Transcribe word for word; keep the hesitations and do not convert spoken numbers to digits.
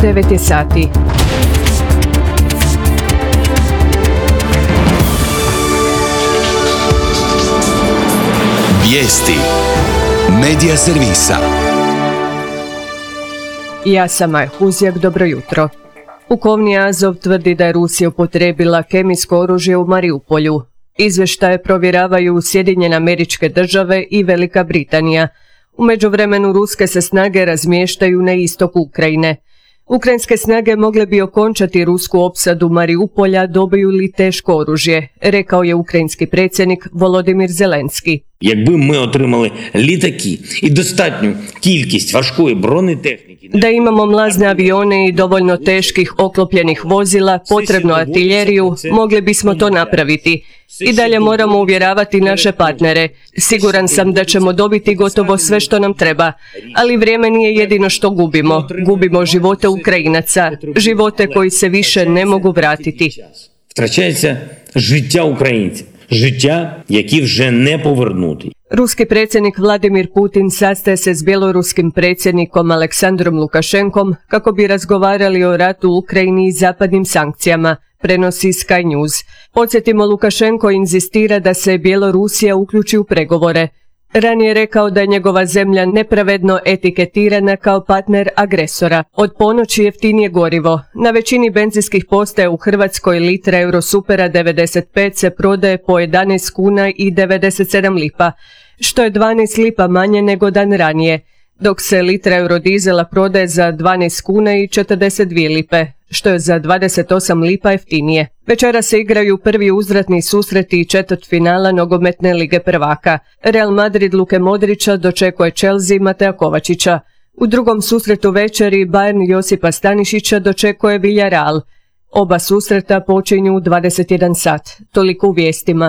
devet je sati. Vijesti Medija servisa. Ja sam Maja Huzjak, dobro jutro. Pukovni Azov tvrdi da je Rusija upotrijebila kemijsko oružje u Mariupolju. Izvještaje provjeravaju Sjedinjene Američke Države i Velika Britanija. U međuvremenu ruske se snage razmještaju na istoku Ukrajine. Ukrajinske snage mogle bi okončati rusku opsadu Mariupolja dobiju li teško oružje, rekao je ukrajinski predsjednik Volodimir Zelenski. Якби ми отримали літаки і достатню кількість важкої бронетехніки. Da imamo mlazne avione i dovoljno teških oklopljenih vozila, potrebnu artiljeriju, mogli bismo to napraviti. I dalje moramo uvjeravati naše partnere. Siguran sam da ćemo dobiti gotovo sve što nam treba. Ali vrijeme nije jedino što gubimo. Gubimo živote Ukrajinaca, živote koji se više ne mogu vratiti. Втрачається життя українців. Життя, які вже не повернути. Ruski predsjednik Vladimir Putin sastaje se s bjeloruskim predsjednikom Aleksandrom Lukašenkom kako bi razgovarali o ratu u Ukrajini i zapadnim sankcijama, prenosi Sky News. Podsjetimo, Lukašenko inzistira da se Bjelorusija uključi u pregovore. Ranije je rekao da je njegova zemlja nepravedno etiketirana kao partner agresora. Od ponoći jeftinije gorivo. Na većini benzinskih postaja u Hrvatskoj litra Eurosupera devedeset pet se prodaje po jedanaest kuna i devedeset sedam lipa, što je dvanaest lipa manje nego dan ranije, dok se litra Eurodizela prodaje za dvanaest kuna i četrdeset dvije lipe, što je za dvadeset osam lipa jeftinije. Večera se igraju prvi uzvratni susreti i četvrtfinala nogometne lige prvaka. Real Madrid Luke Modrića dočekuje Chelsea Matea Kovačića. U drugom susretu večeri Bayern Josipa Stanišića dočekuje Villarreal. Oba susreta počinju u dvadeset jedan sat. Toliko u vijestima.